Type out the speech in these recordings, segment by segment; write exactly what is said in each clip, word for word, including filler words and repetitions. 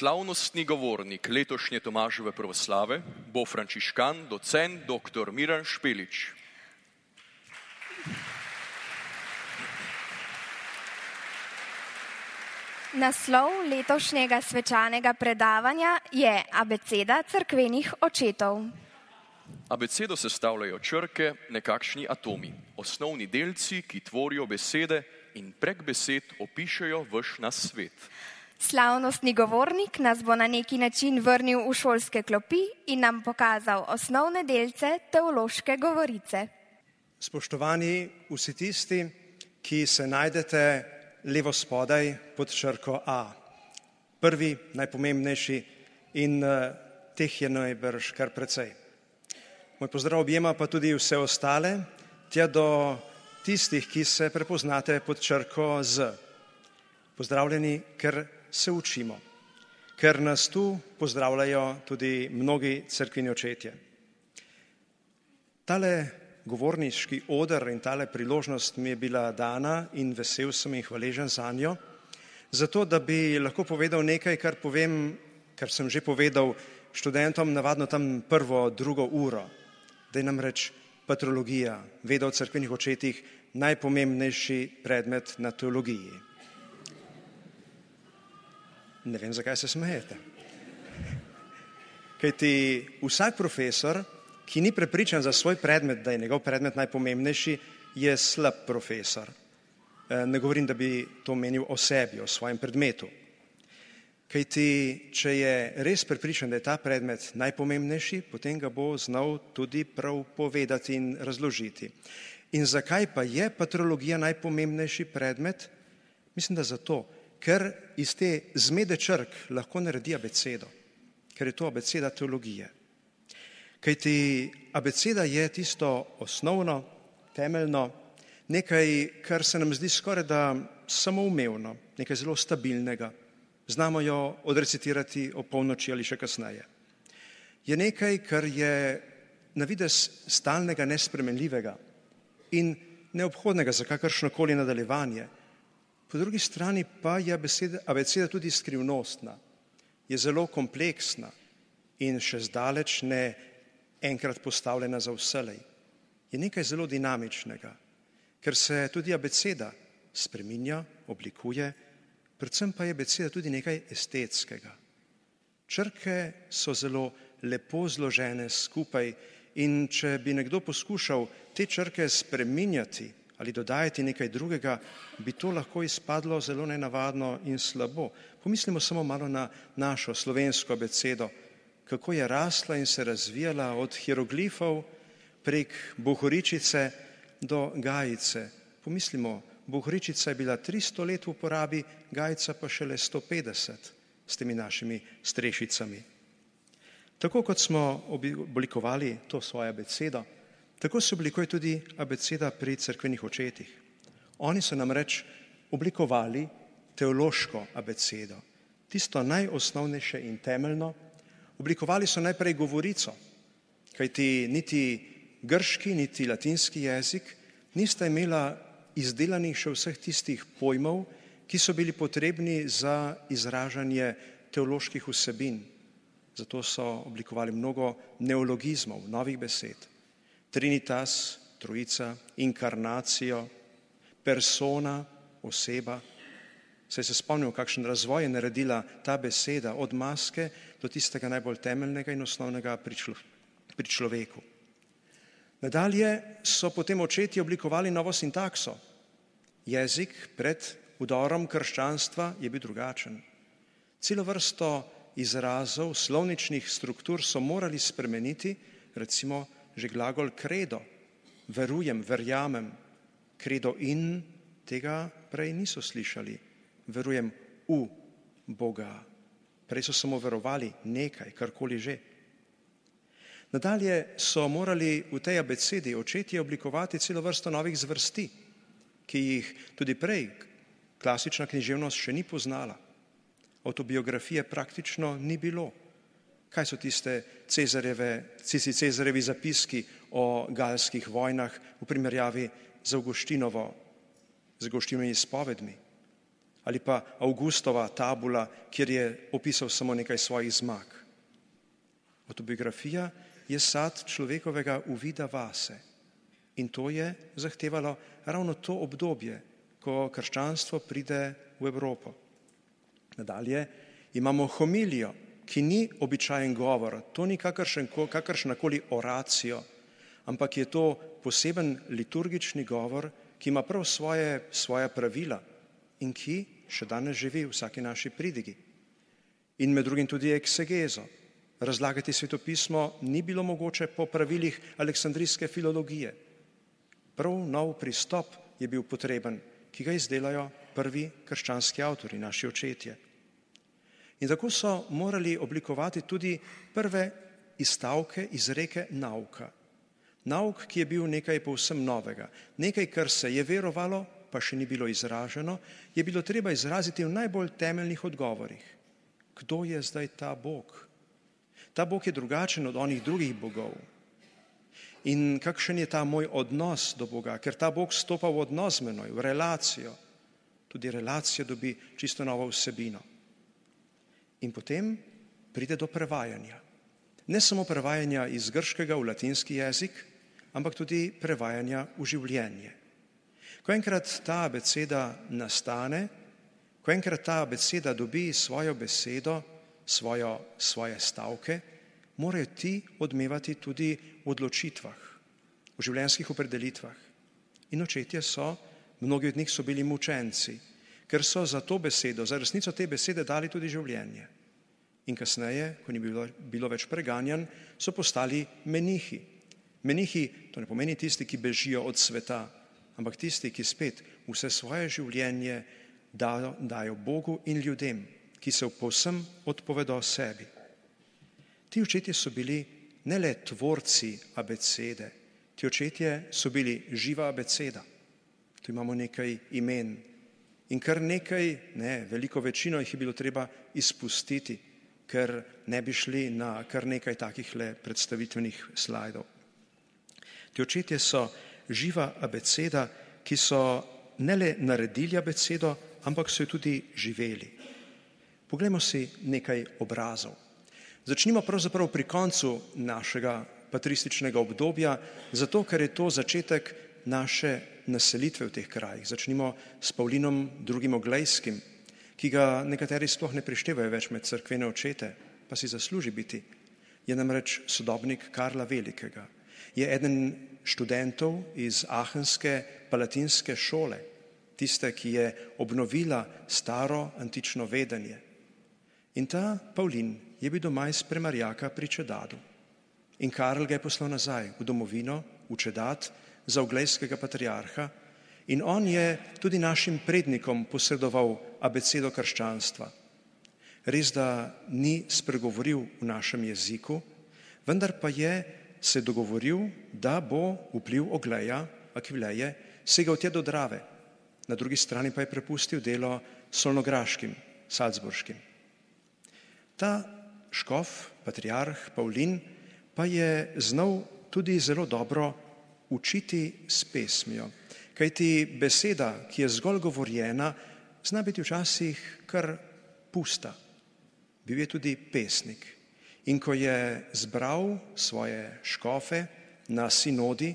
Slavnostni govornik letošnje Tomaževe proslave bo frančiškan, docent doktor Miran Špelič. Naslov letošnjega svečanega predavanja je Abeceda cerkvenih očetov. Abecedo sestavljajo črke, nekakšni atomi, osnovni delci, ki tvorijo besede in prek besed opišejo vaš nas svet. Slavnostni govornik nas bo na neki način vrnil v šolske klopi in nam pokazal osnovne delce teološke govorice. Spoštovani vsi tisti, ki se najdete levo spodaj pod črko A. Prvi, najpomembnejši in uh, teh je najbrž kar precej. Moj pozdrav objema pa tudi vse ostale, tja do tistih, ki se prepoznate pod črko Z. Pozdravljeni, ker se učimo, ker nas tu pozdravljajo tudi mnogi cerkveni očetje. Tale govorniški oder in tale priložnost mi je bila dana in vesel sem in hvaležen zanjo, zato da bi lahko povedal nekaj, kar povem, kar sem že povedal študentom navadno tam prvo, drugo uro, da je namreč patrologija, veda o cerkvenih očetih, najpomembnejši predmet na teologiji. Ne vem, zakaj se smejete. Kajti vsak profesor, ki ni prepričan za svoj predmet, da je njegov predmet najpomembnejši, je slab profesor. Ne govorim, da bi to menil o sebi, o svojem predmetu. Kajti, če je res prepričan, da je ta predmet najpomembnejši, potem ga bo znal tudi prav povedati in razložiti. In zakaj pa je patrologija najpomembnejši predmet? Mislim, da zato, ker iz te zmede črk lahko naredi abecedo, ker je to abeceda teologije. Kajti abeceda je tisto osnovno, temeljno, nekaj, kar se nam zdi skoraj da samoumevno, nekaj zelo stabilnega. Znamo jo odrecitirati o polnoči ali še kasneje. Je nekaj, kar je na videz stalnega, nespremenljivega in neobhodnega za kakršnokoli nadaljevanje. Po drugi strani pa je abeceda, abeceda tudi skrivnostna, je zelo kompleksna in še zdaleč ne enkrat postavljena za vselej. Je nekaj zelo dinamičnega, ker se tudi abeceda spreminja, oblikuje, predvsem pa je abeceda tudi nekaj estetskega. Črke so zelo lepo zložene skupaj in če bi nekdo poskušal te črke spreminjati ali dodajati nekaj drugega, bi to lahko izpadlo zelo nenavadno in slabo. Pomislimo samo malo na našo slovensko abecedo, kako je rasla in se razvijala od hieroglifov prek bohoričice do gajice. Pomislimo, bohoričica je bila tristo let v uporabi, gajica pa šele sto petdeset s temi našimi strešicami. Tako kot smo oblikovali to svojo abecedo, tako se oblikuje tudi abeceda pri cerkvenih očetih. Oni so namreč oblikovali teološko abecedo, tisto najosnovnejše in temeljno. Oblikovali so najprej govorico, kajti niti grški, niti latinski jezik nista imela izdelanih še vseh tistih pojmov, ki so bili potrebni za izražanje teoloških vsebin. Zato so oblikovali mnogo neologizmov, novih besed. Trinitas, trojica, inkarnacijo, persona, oseba. Saj se spomnimo, kakšen razvoj je naredila ta beseda od maske do tistega najbolj temeljnega in osnovnega pri, člo, pri človeku. Nadalje so potem očetje oblikovali novo sintakso. Jezik pred vdorom krščanstva je bil drugačen. Celo vrsto izrazov, slovničnih struktur so morali spremeniti, recimo že glagol credo, verujem, verjamem, credo in, tega prej niso slišali, verujem v Boga. Prej so samo verovali nekaj, karkoli že. Nadalje so morali v tej abecedi očetje oblikovati celo vrsto novih zvrsti, ki jih tudi prej klasična književnost še ni poznala. Autobiografije praktično ni bilo. Kaj so tiste Cezarjeve, Cici Cezarevi zapiski o galskih vojnah v primerjavi z Avguštinovo, z Avguštinovimi izpovedmi? Ali pa Augustova tabula, kjer je opisal samo nekaj svojih zmag. Avtobiografija je sad človekovega uvida vase in to je zahtevalo ravno to obdobje, ko krščanstvo pride v Evropo. Nadalje imamo homilijo, ki ni običajen govor, to ni kakršnakoli oracijo, ampak je to poseben liturgični govor, ki ima prav svoje, svoja pravila in ki še danes živi v vsaki naši pridigi. In med drugim tudi eksegezo. Razlagati svetopismo ni bilo mogoče po pravilih aleksandrijske filologije. Prav nov pristop je bil potreben, ki ga izdelajo prvi krščanski avtori, naši očetje. In tako so morali oblikovati tudi prve izstavke, izreke nauka. Nauk, ki je bil nekaj povsem novega, nekaj, kar se je verovalo, pa še ni bilo izraženo, je bilo treba izraziti v najbolj temeljnih odgovorih. Kdo je zdaj ta Bog? Ta Bog je drugačen od onih drugih bogov. In kakšen je ta moj odnos do Boga, ker ta Bog stopa v odnos z menoj, v relacijo. Tudi relacija dobi čisto novo vsebino. In potem pride do prevajanja. Ne samo prevajanja iz grškega v latinski jezik, ampak tudi prevajanja v življenje. Ko enkrat ta abeceda nastane, ko enkrat ta abeceda dobi svojo besedo, svojo, svoje stavke, morajo ti odmevati tudi v odločitvah, v življenjskih opredelitvah. In očetje so, mnogi od njih so bili mučenci, ker so za to besedo, za resnico te besede dali tudi življenje. In kasneje, ko ni bilo, bilo več preganjan, so postali menihi. Menihi, to ne pomeni tisti, ki bežijo od sveta, ampak tisti, ki spet vse svoje življenje dajo, dajo Bogu in ljudem, ki se povsem odpovedo sebi. Ti očetje so bili ne le tvorci abecede, ti očetje so bili živa abeceda. Tu imamo nekaj imen in kar nekaj, ne, veliko večino jih je bilo treba izpustiti, ker ne bi šli na kar nekaj takih le predstavitvenih slajdov. Ti očetje so živa abeceda, ki so ne le naredili abecedo, ampak so jo tudi živeli. Poglejmo si nekaj obrazov. Začnimo pravzaprav pri koncu našega patrističnega obdobja, zato ker je to začetek naše naselitve v teh krajih. Začnimo s Pavlinom drugim Oglejskim, ki ga nekateri sploh ne prištevajo več med cerkvene očete, pa si zasluži biti. Je namreč sodobnik Karla Velikega. Je eden študentov iz Aachenske palatinske šole, tiste, ki je obnovila staro antično vedenje. In ta Pavlin je bil doma iz Premarjaka pri Čedadu. In Karl ga je poslal nazaj v domovino, v Čedat, za oglejskega patriarha in on je tudi našim prednikom posredoval abecedo krščanstva. Res, da ni spregovoril v našem jeziku, vendar pa je se dogovoril, da bo vpliv Ogleja, Akvileje, segal tja do Drave. Na drugi strani pa je prepustil delo solnograškim, salzburškim. Ta škof, patriarh Pavlin, pa je znal tudi zelo dobro učiti s pesmijo. Kajti beseda, ki je zgolj govorjena, zna biti včasih kar pusta. Bil je tudi pesnik. In ko je zbral svoje škofe na sinodi,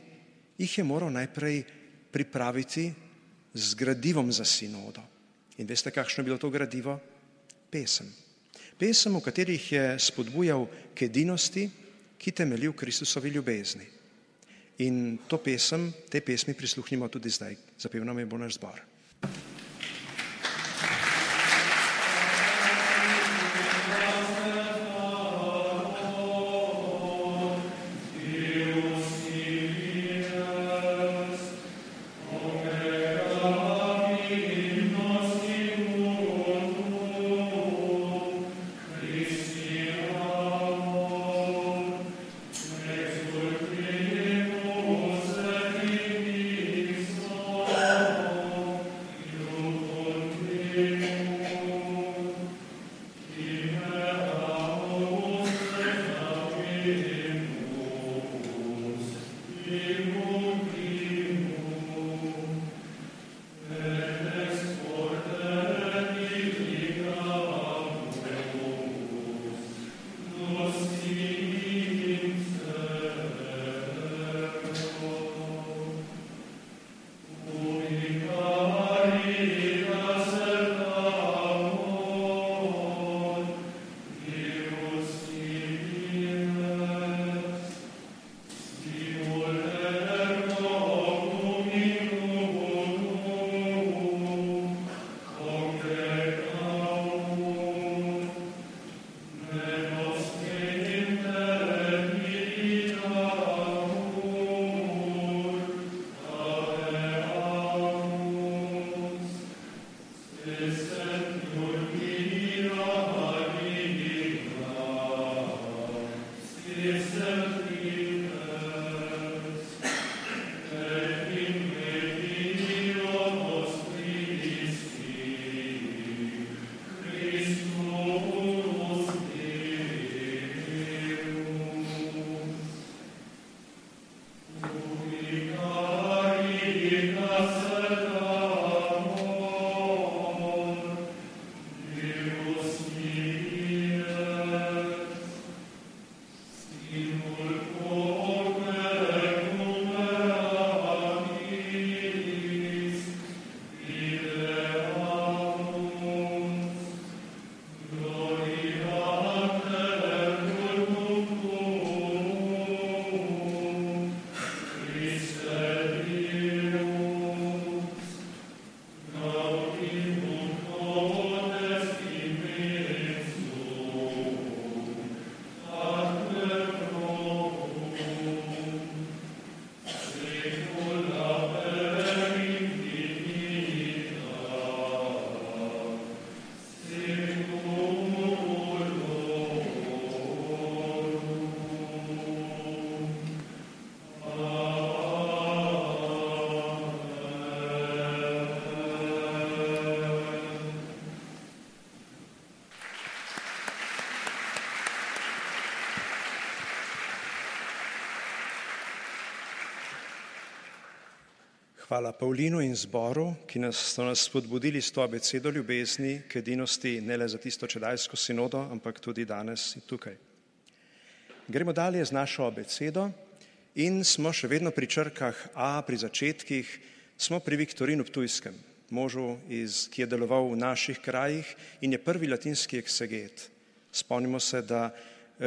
jih je moral najprej pripraviti z gradivom za sinodo. In veste, kakšno je bilo to gradivo? Pesem. Pesem, v katerih je spodbujal k edinosti, ki temelji v Kristusovi ljubezni. In to pesem, te pesmi prisluhnimo tudi zdaj. Zapel nam je bo naš zbor. Hvala Pavlinu in zboru, ki nas, so nas spodbudili s to abecedo ljubezni k edinosti ne le za tisto čedajsko sinodo, ampak tudi danes in tukaj. Gremo dalje z našo abecedo in smo še vedno pri črkah A, pri začetkih, smo pri Viktorinu Ptujskem, možu, iz, ki je deloval v naših krajih in je prvi latinski ekseget. Spomnimo se, da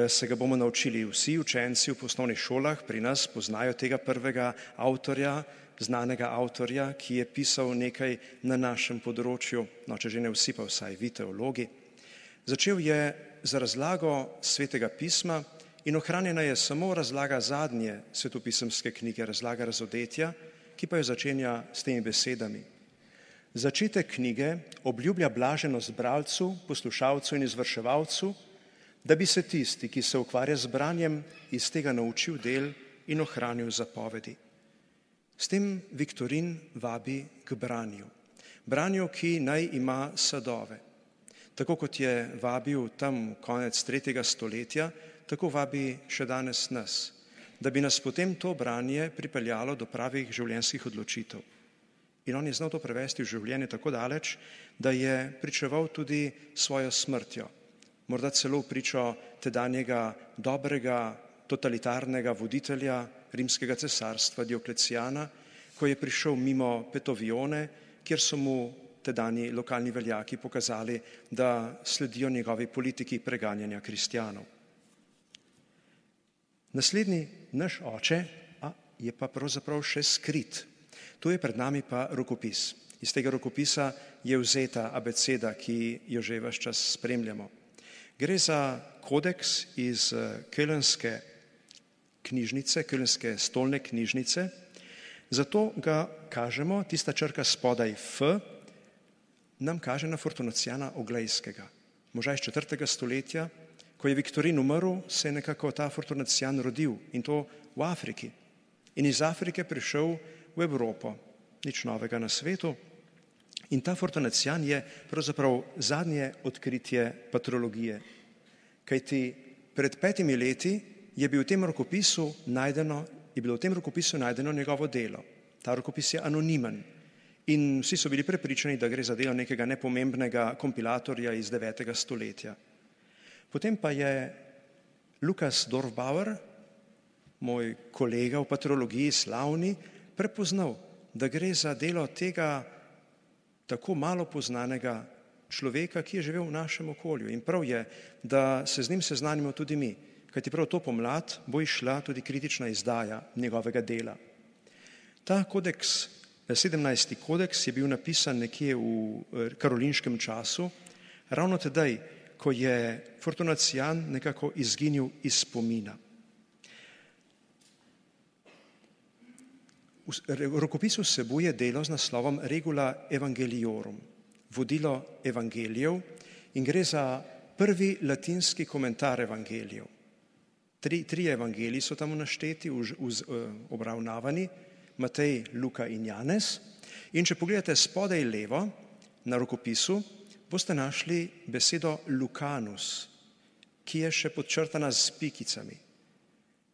se ga bomo naučili vsi učenci v osnovnih šolah, pri nas poznajo tega prvega avtorja, znanega avtorja, ki je pisal nekaj na našem področju, no, če že ne vsi, pa vsaj vi teologi. Začel je z razlago Svetega pisma in ohranjena je samo razlaga zadnje svetopisemske knjige, razlaga Razodetja, ki pa jo začenja s temi besedami. Začetek knjige obljublja blaženost bralcu, poslušalcu in izvrševalcu, da bi se tisti, ki se ukvarja z branjem, iz tega naučil del in ohranil zapovedi. S tem Viktorin vabi k branju. Branju, ki naj ima sadove. Tako kot je vabil tam konec tretjega stoletja, tako vabi še danes nas, da bi nas potem to branje pripeljalo do pravih življenjskih odločitev. In on je znal to prevesti v življenje tako daleč, da je pričeval tudi svojo smrtjo. Morda celo pričo tedanjega dobrega totalitarnega voditelja rimskega cesarstva Dioklecijana, ko je prišel mimo Petovione, kjer so mu tedanji lokalni veljaki pokazali, da sledijo njegovi politiki preganjanja kristjanov. Naslednji naš oče a, je pa pravzaprav še skrit. Tu je pred nami pa rokopis. Iz tega rokopisa je vzeta abeceda, ki jo že ves čas spremljamo. Gre za kodeks iz Kölnske knjižnice, Kölnske stolne knjižnice, zato ga kažemo, tista črka spodaj F, nam kaže na Fortunacijana Oglejskega. Moža iz četrtega stoletja, ko je Viktorin umrl, se je nekako ta Fortunacijan rodil in to v Afriki. In iz Afrike prišel v Evropo, nič novega na svetu. In ta Fortunacijan je pravzaprav zadnje odkritje patrologije. Kajti pred petimi leti je bil v tem rokopisu najdeno, je bilo v tem rokopisu najdeno njegovo delo. Ta rokopis je anonimen in vsi so bili prepričani, da gre za delo nekega nepomembnega kompilatorja iz devetega stoletja. Potem pa je Lukas Dorfbauer, moj kolega v patrologiji slavni, prepoznal, da gre za delo tega tako malo poznanega človeka, ki je živel v našem okolju. In prav je, da se z njim seznanimo tudi mi, kajti prav to pomlad bo išla tudi kritična izdaja njegovega dela. Ta kodeks, sedemnajsti kodeks, je bil napisan nekje v karolinškem času, ravno tedaj, ko je Fortunacijan nekako izginil iz spomina. Rokopis vsebuje delo z naslovom Regula Evangeliorum, vodilo evangelijev, in gre za prvi latinski komentar evangelijev. Tri, tri evangeliji so tam našteti, uz, uz, obravnavani, Matej, Luka in Janez. In če pogledate spodaj levo na rokopisu, boste našli besedo Lucanus, ki je še podčrtana s pikicami.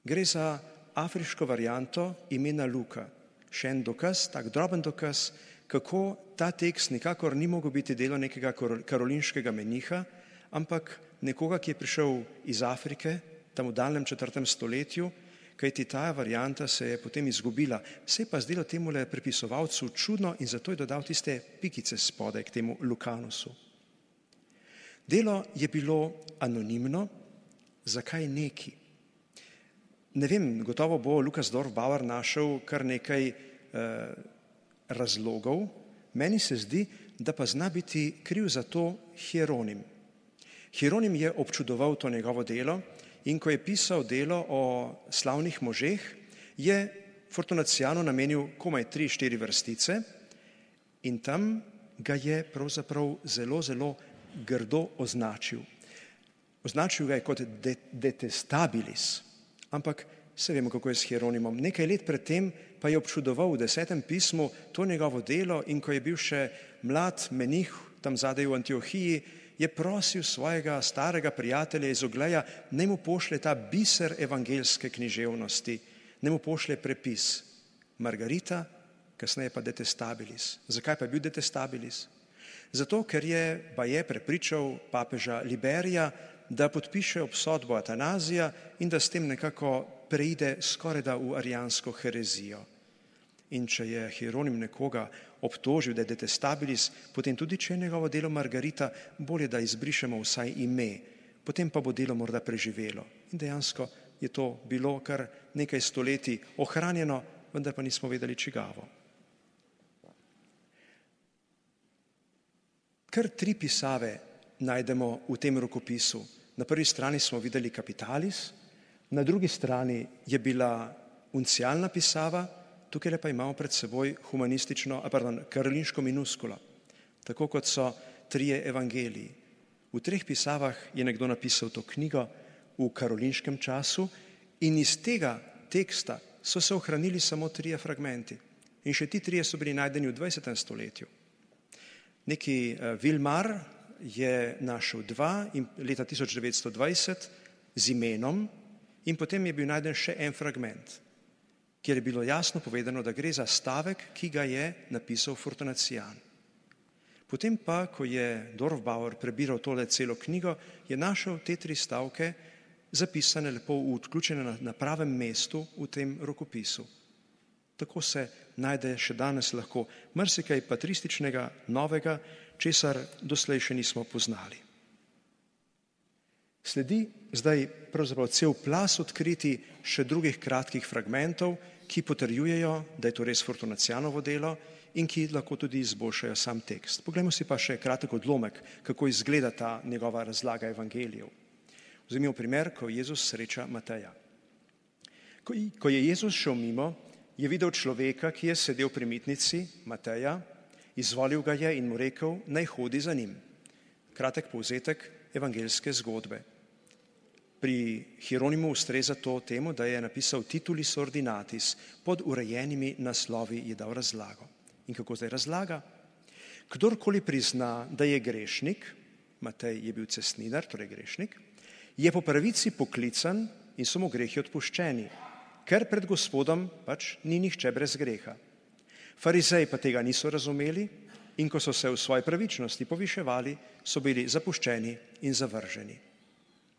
Gre za afriško varianto imena Luka. Še en dokaz, tak droben dokaz, kako ta tekst nikakor ni mogel biti delo nekega karolinškega meniha, ampak nekoga, ki je prišel iz Afrike, tam v daljnem četrtem stoletju, kajti ta varianta se je potem izgubila. Se je pa zdelo temule prepisovalcu čudno in zato je dodal tiste pikice spodaj k temu Lucanusu. Delo je bilo anonimno, zakaj neki? Ne vem, gotovo bo Lukas Dorfbauer našel kar nekaj eh, razlogov. Meni se zdi, da pa zna biti kriv za to Hieronim. Hieronim je občudoval to njegovo delo in ko je pisal delo o slavnih možeh, je Fortunacijanu namenil komaj tri, štiri vrstice in tam ga je pravzaprav zelo, zelo grdo označil. Označil ga je kot de, detestabilis. Ampak se vemo, kako je s Hieronimom. Nekaj let predtem pa je občudoval v desetem pismu to njegovo delo in ko je bil še mlad menih tam zadaj v Antiohiji, je prosil svojega starega prijatelja iz Ogleja, naj mu pošlje ta biser evangeljske književnosti, naj mu pošlje prepis Margarita kasneje pa detestabilis. Zakaj pa je bil detestabilis? Zato, ker je baje prepričal papeža Liberija, da podpiše obsodbo Atanazija in da s tem nekako preide skorajda v arijansko herezijo. In če je Hieronim nekoga obtožil, da je detestabilis, potem tudi, če je njegovo delo Margarita, bolje, da izbrišemo vsaj ime, potem pa bo delo morda preživelo. In dejansko je to bilo kar nekaj stoletij ohranjeno, vendar pa nismo vedeli čigavo. Kar tri pisave najdemo v tem rokopisu. Na prvi strani smo videli Capitalis, na drugi strani je bila uncialna pisava, tukaj pa imamo pred seboj humanistično, a pardon, karolinško minuskulo, tako kot so trije evangeliji. V treh pisavah je nekdo napisal to knjigo v karolinškem času in iz tega teksta so se ohranili samo trije fragmenti. In še ti trije so bili najdeni v dvajsetem stoletju. Neki Vilmar je našel dva in leta tisoč devetsto dvajset z imenom in potem je bil najden še en fragment, kjer je bilo jasno povedano, da gre za stavek, ki ga je napisal Fortunacijan. Potem pa, ko je Dorfbauer prebiral tole celo knjigo, je našel te tri stavke zapisane lepo, vključene na, na pravem mestu v tem rokopisu. Tako se najde še danes lahko marsikaj patrističnega, novega, česar doslej še nismo poznali. Sledi zdaj pravzaprav cel plas odkriti še drugih kratkih fragmentov, ki potrjujejo, da je to res Fortunacijanovo delo in ki lahko tudi izboljšajo sam tekst. Poglejmo si pa še kratek odlomek, kako izgleda ta njegova razlaga evangelijev. Vzemimo primer, ko Jezus sreča Mateja. Ko, ko je Jezus šel mimo, je videl človeka, ki je sedel pri mitnici, Mateja, izvolil ga je in mu rekel, naj hodi za njim. Kratek povzetek evangeljske zgodbe. Pri Hieronimu ustreza to temu, da je napisal Titulis Ordinatis, pod urejenimi naslovi je dal razlago. In kako zdaj razlaga? Kdorkoli prizna, da je grešnik, Matej je bil cestninar, torej grešnik, je po pravici poklican in so mu grehi odpuščeni, ker pred Gospodom pač ni nihče brez greha. Farizeji pa tega niso razumeli in ko so se v svoji pravičnosti poviševali, so bili zapuščeni in zavrženi.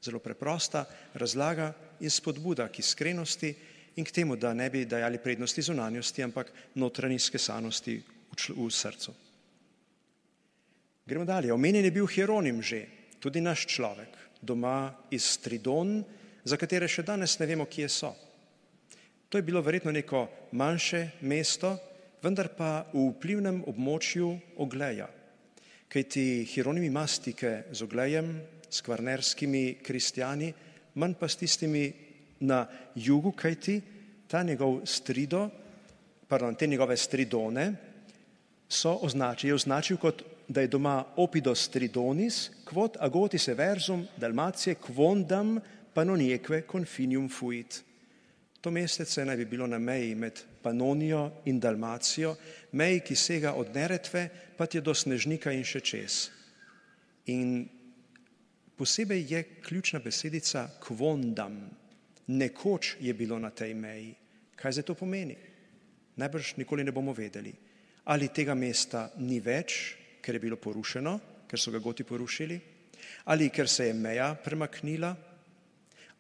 Zelo preprosta razlaga in spodbuda k iskrenosti in k temu, da ne bi dajali prednosti zunanjosti, ampak notranji skesanosti v, čl- v srcu. Gremo dalje. Omenjen je bil Hieronim že, tudi naš človek, doma iz Stridon, za katere še danes ne vemo, kje so. To je bilo verjetno neko manjše mesto, vendar pa v vplivnem območju Ogleja. Kajti Hieronim ima stike z Oglejem, s kvarnerskimi kristjani, manj pa s tistimi na jugu, kajti ta njegov strido, pardon, te njegove stridone so označili, je označil kot, da je doma opidos stridonis, quod agotis eversum Dalmacije quondam panoniekve confinium fuit. To mestece naj bi bilo na meji med Panonijo in Dalmacijo, meji, ki sega od Neretve, pa tje do Snežnika in še čez. In posebej je ključna besedica quondam. Nekoč je bilo na tej meji. Kaj zdaj to pomeni? Najbrž nikoli ne bomo vedeli. Ali tega mesta ni več, ker je bilo porušeno, ker so ga Goti porušili, ali ker se je meja premaknila,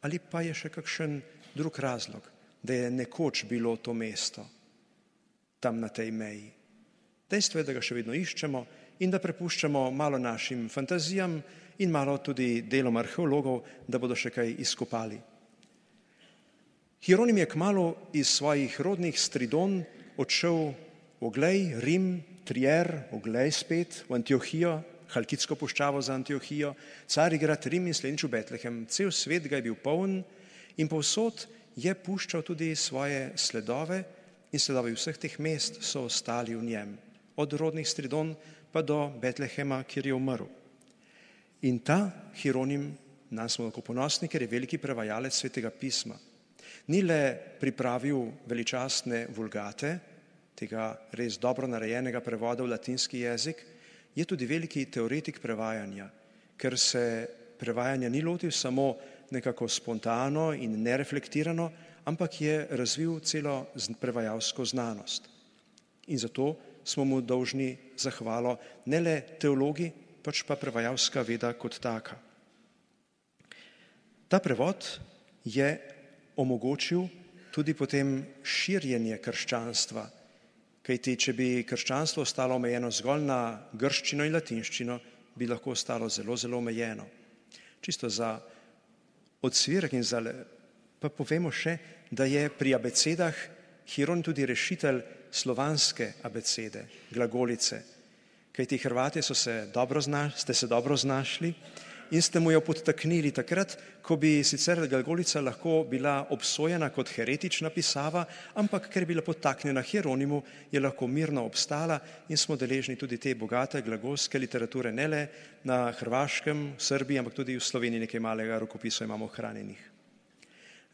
ali pa je še kakšen drug razlog, da je nekoč bilo to mesto tam na tej meji. Dejstvo je, da ga še vedno iščemo in da prepuščamo malo našim fantazijam in malo tudi delom arheologov, da bodo še kaj izkopali. Hieronim je kmalu iz svojih rodnih Stridon odšel v Oglej, Rim, Trier, Oglej spet, v Antiohijo, Halkidsko puščavo za Antiohijo, Carigrad, Rim in slednjič v Betlehem. Cel svet ga je bil poln in povsod je puščal tudi svoje sledove in sledovi vseh teh mest so ostali v njem. Od rodnih Stridon pa do Betlehema, kjer je umrl. In ta Hieronim, nam smo lahko ponosni, ker je veliki prevajalec Svetega pisma. Ni le pripravil veličastne vulgate, tega res dobro narejenega prevoda v latinski jezik, je tudi veliki teoretik prevajanja, ker se prevajanja ni lotil samo nekako spontano in nereflektirano, ampak je razvil celo prevajalsko znanost. In zato smo mu dolžni zahvalo ne le teologi, pač pa prevajalska veda kot taka. Ta prevod je omogočil tudi potem širjenje krščanstva, kajti če bi krščanstvo ostalo omejeno zgolj na grščino in latinščino, bi lahko ostalo zelo, zelo omejeno. Čisto za odsvirek in za pa povemo še, da je pri abecedah Hieronim tudi rešitelj slovanske abecede, glagolice, kajti Hrvatje so se dobro zna, ste se dobro znašli in ste mu jo podtaknili takrat, ko bi sicer glagolica lahko bila obsojena kot heretična pisava, ampak ker je bila podtaknjena Hieronimu, je lahko mirno obstala in smo deležni tudi te bogate glagolske literature, ne le na Hrvaškem, v Srbiji, ampak tudi v Sloveniji nekaj malega rokopisov imamo ohranjenih.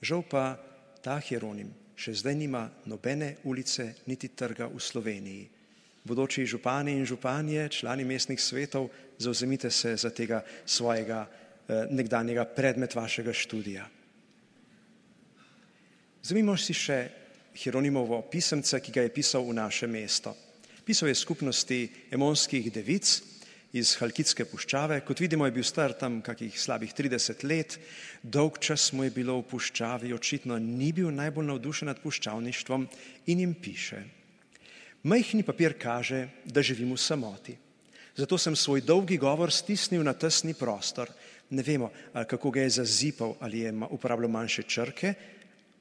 Žal pa ta Hieronim še zdaj nima nobene ulice niti trga v Sloveniji. Bodoči župani in županje, člani mestnih svetov, zavzemite se za tega svojega eh, nekdanjega predmet vašega študija. Vzemimo si še Hieronimovo pisemce, ki ga je pisal v naše mesto. Pisal je skupnosti emonskih devic iz Halkidske puščave. Kot vidimo, je bil star tam kakih slabih trideset let, dolg čas mu je bilo v puščavi, očitno ni bil najbolj navdušen nad puščavništvom in jim piše: Majhni papir kaže, da živim v samoti. Zato sem svoj dolgi govor stisnil na tesni prostor. Ne vemo, kako ga je zazipal, ali je uporabljal manjše črke,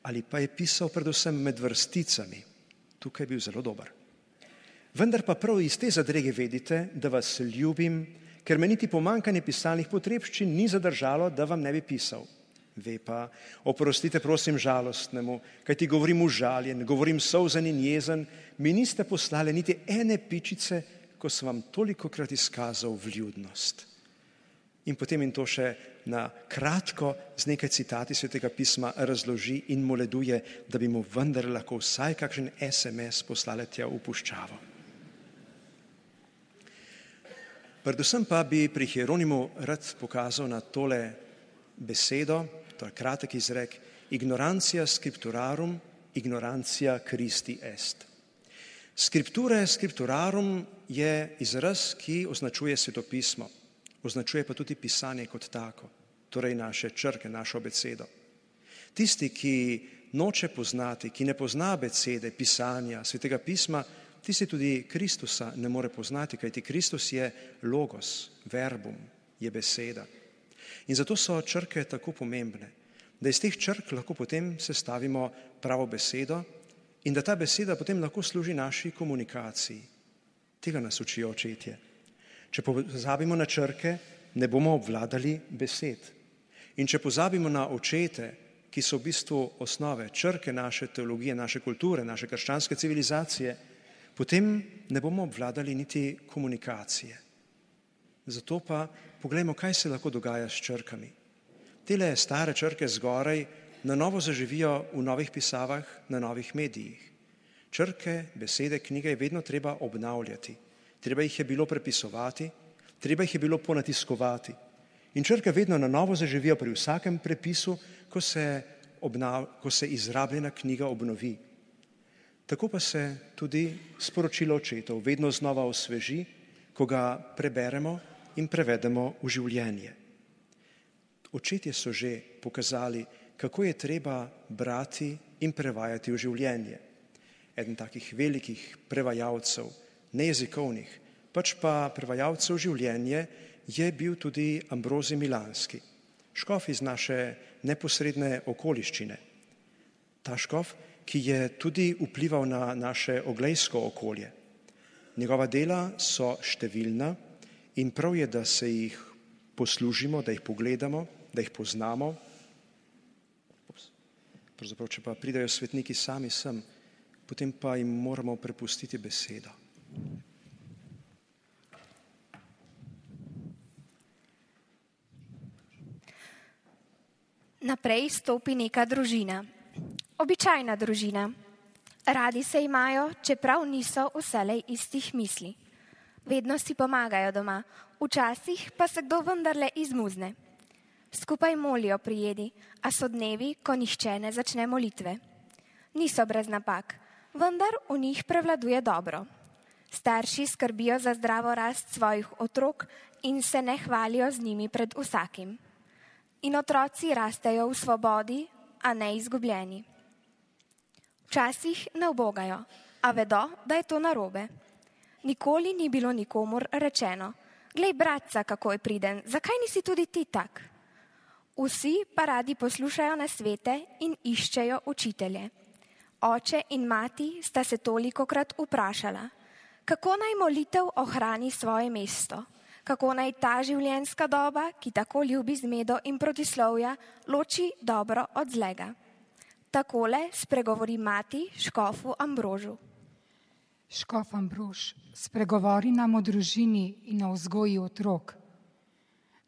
ali pa je pisal predvsem med vrsticami. Tukaj je bil zelo dober. Vendar pa prav iz te zadrege vedite, da vas ljubim, ker me niti pomanjkanje pisalnih potrebščin ni zadržalo, da vam ne bi pisal. Ve pa, oprostite prosim žalostnemu, kaj ti govorim užaljen, govorim solzen in jezen, mi niste poslali niti ene pičice, ko sem vam tolikokrat izkazal vljudnost. In potem in to še na kratko z nekaj citati Svetega pisma razloži in moleduje, da bi mu vendar lahko vsaj kakšen es em es poslali tja v puščavo. Predvsem pa bi pri Hieronimu rad pokazal na tole besedo, to je kratek izrek, ignorantia scripturarum, ignorantia Christi est. Scripture scripturarum je izraz, ki označuje svetopismo, označuje pa tudi pisanje kot tako, torej naše črke, našo abecedo. Tisti, ki noče poznati, ki ne pozna abecede, pisanja, Svetega pisma, tisti tudi Kristusa ne more poznati, kajti Kristus je logos, verbum, je beseda. In zato so črke tako pomembne, da iz teh črk lahko potem sestavimo pravo besedo in da ta beseda potem lahko služi naši komunikaciji. Tega nas učijo očetje. Če pozabimo na črke, ne bomo obvladali besed. In če pozabimo na očete, ki so v bistvu osnove, črke naše teologije, naše kulture, naše krščanske civilizacije, potem ne bomo obvladali niti komunikacije. Zato pa poglejmo, kaj se lahko dogaja s črkami. Tele stare črke zgoraj na novo zaživijo v novih pisavah, na novih medijih. Črke, besede, knjige je vedno treba obnavljati. Treba jih je bilo prepisovati, treba jih je bilo ponatiskovati. In črke vedno na novo zaživijo pri vsakem prepisu, ko se, obnav, ko se izrabljena knjiga obnovi. Tako pa se tudi sporočilo očetov vedno znova osveži, ko ga preberemo in prevedemo v življenje. Očetje so že pokazali, kako je treba brati in prevajati v življenje. Eden takih velikih prevajalcev, ne jezikovnih, pač pa prevajalcev življenje, je bil tudi Ambrozij Milanski, škof iz naše neposredne okoliščine. Ta škof, ki je tudi vplival na naše oglejsko okolje. Njegova dela so številna in prav je, da se jih poslužimo, da jih pogledamo, da jih poznamo. Pravzaprav, če pa pridejo svetniki sami sem, potem pa jim moramo prepustiti besedo. Naprej stopi neka družina. Običajna družina. Radi se imajo, čeprav niso vselej istih misli. Vedno si pomagajo doma, včasih pa se kdo vendarle izmuzne. Skupaj molijo pri jedi, a so dnevi, ko nihče ne začne molitve. Niso brez napak. vendar v njih prevladuje dobro. Starši skrbijo za zdravo rast svojih otrok in se ne hvalijo z njimi pred vsakim. In otroci rastejo v svobodi, a ne izgubljeni. Včasih ne ubogajo, a vedo, da je to narobe. Nikoli ni bilo nikomur rečeno: glej, bratca, kako je priden, zakaj nisi tudi ti tak? Vsi pa radi poslušajo nasvete in iščejo učitelje. Oče in mati sta se tolikokrat vprašala, kako naj molitev ohrani svoje mesto, kako naj ta življenjska doba, ki tako ljubi zmedo in protislovja, loči dobro od zlega. Takole spregovori mati škofu Ambrožu. Škof Ambrož, spregovori nam o družini in o vzgoji otrok.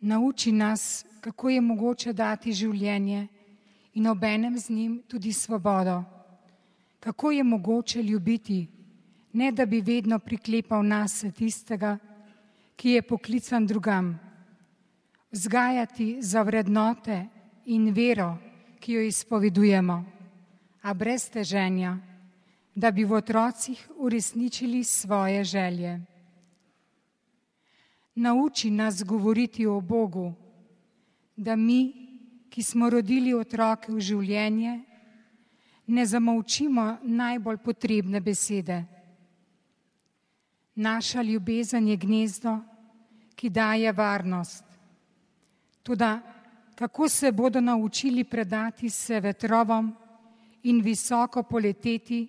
Nauči nas, kako je mogoče dati življenje in obenem z njim tudi svobodo. Kako je mogoče ljubiti, ne da bi vedno priklepal nase tistega, ki je poklican drugam. Vzgajati za vrednote in vero, ki jo izpovedujemo, a brez teženja, da bi v otrocih uresničili svoje želje. Nauči nas govoriti o Bogu, da mi, ki smo rodili otroke v življenje, ne zamolčimo najbolj potrebne besede. Naša ljubezen je gnezdo, ki daje varnost. Toda kako se bodo naučili predati se vetrovom in visoko poleteti,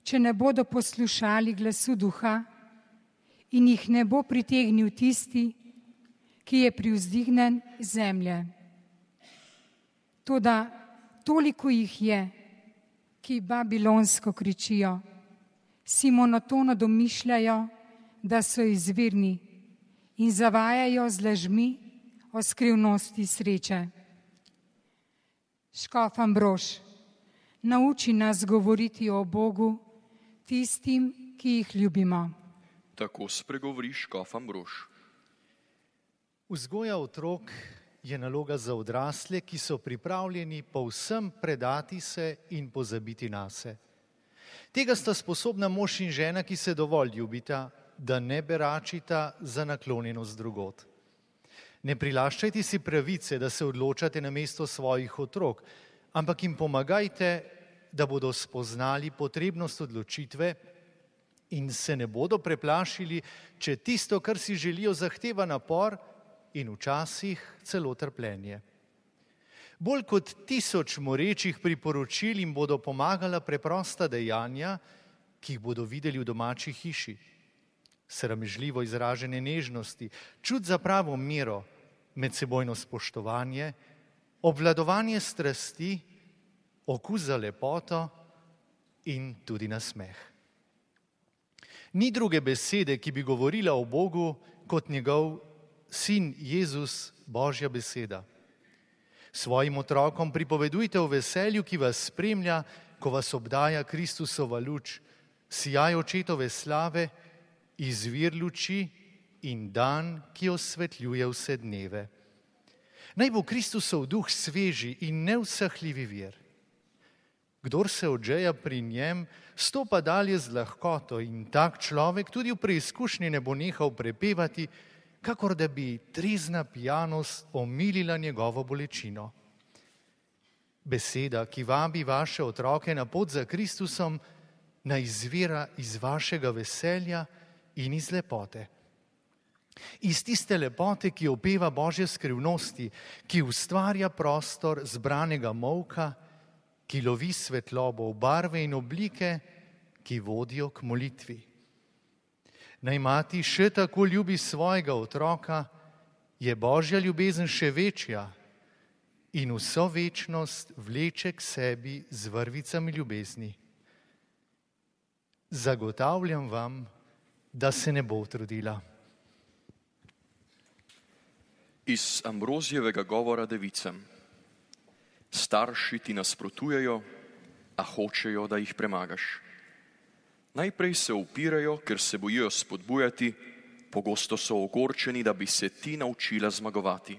če ne bodo poslušali glasu duha in jih ne bo pritegnil tisti, ki je privzdignen iz zemlje. Toda toliko jih je, ki babilonsko kričijo, si monotono domišljajo, da so izvirni in zavajajo z lažmi o skrivnosti sreče. Škof Ambrož, nauči nas govoriti o Bogu tistim, ki jih ljubimo. Tako spregovori škof Ambrož. Vzgoja otrok je naloga za odrasle, ki so pripravljeni povsem predati se in pozabiti nase. Tega sta sposobna mož in žena, ki se dovolj ljubita, da ne beračita za naklonjenost drugod. Ne prilaščajte si pravice, da se odločate namesto svojih otrok, ampak jim pomagajte, da bodo spoznali potrebnost odločitve in se ne bodo preplašili, če tisto, kar si želijo, zahteva napor in včasih celo trpljenje. Bolj kot tisoč morečih priporočil jim bodo pomagala preprosta dejanja, ki jih bodo videli v domači hiši. Sramežljivo izražene nežnosti, čut za pravo mero, medsebojno spoštovanje, obvladovanje strasti, okus za lepoto in tudi nasmeh. Ni druge besede, ki bi govorila o Bogu, kot njegov sin Jezus, Božja beseda. Svojim otrokom pripovedujte o veselju, ki vas spremlja, ko vas obdaja Kristusova luč, sijaj očetove slave, izvir luči in dan, ki osvetljuje vse dneve. Naj bo Kristusov duh sveži in neusahljivi vir. Kdor se odžeja pri njem, stopa dalje z lahkoto in tak človek tudi v preizkušnji ne bo nehal prepevati, kakor da bi trezna pijanost omilila njegovo bolečino. Beseda, ki vabi vaše otroke na pot za Kristusom, naj izvira iz vašega veselja in iz lepote. Iz tiste lepote, ki opeva Božje skrivnosti, ki ustvarja prostor zbranega molka, ki lovi svetlobo v barve in oblike, ki vodijo k molitvi. Naj mati še tako ljubi svojega otroka, je Božja ljubezen še večja in vso večnost vleče k sebi z vrvicami ljubezni. Zagotavljam vam, da se ne bo utrudila. Iz Ambrozijevega govora devicam. Starši ti nasprotujejo, a hočejo, da jih premagaš. Najprej se upirajo, ker se bojijo spodbujati, pogosto so ogorčeni, da bi se ti naučila zmagovati.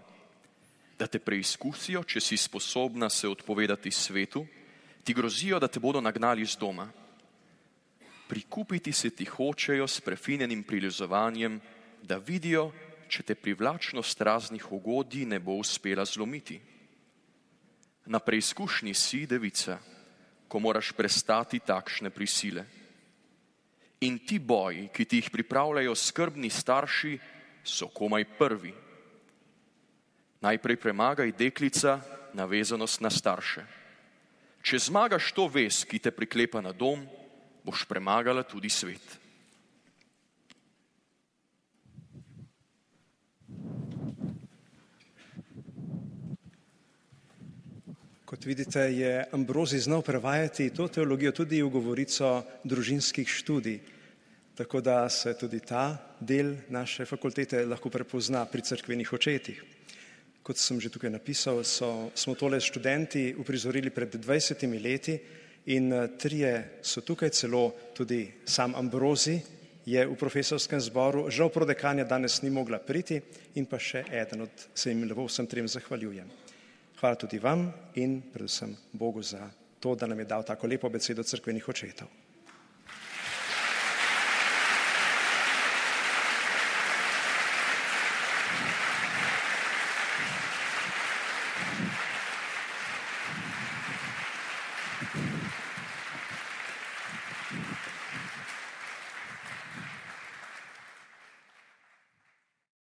Da te preizkusijo, če si sposobna se odpovedati svetu, ti grozijo, da te bodo nagnali z doma. prikupiti se ti hočejo s prefinjenim prilizovanjem, da vidijo, če te privlačnost raznih ugodij ne bo uspela zlomiti. Na preizkušnji si, devica, ko moraš prestati takšne prisile. In ti boji, ki ti jih pripravljajo skrbni starši, so komaj prvi. Najprej premagaj, deklica, navezanost na starše. Če zmagaš to vez, ki te priklepa na dom, boš premagala tudi svet. Kot vidite, je Ambrozij znal prevajati to teologijo tudi v govorico družinskih študij, tako da se tudi ta del naše fakultete lahko prepozna pri cerkvenih očetih. Kot sem že tukaj napisal, so, smo tole študenti uprizorili pred dvajsetimi leti in trije so tukaj, celo tudi sam Ambrozij je v profesorskem zboru, žal prodekanja danes ni mogla priti in pa še eden od, se jim lepo vsem trem zahvaljujem. Hvala tudi vam in predvsem Bogu za to, da nam je dal tako lepo besedo cerkvenih očetov.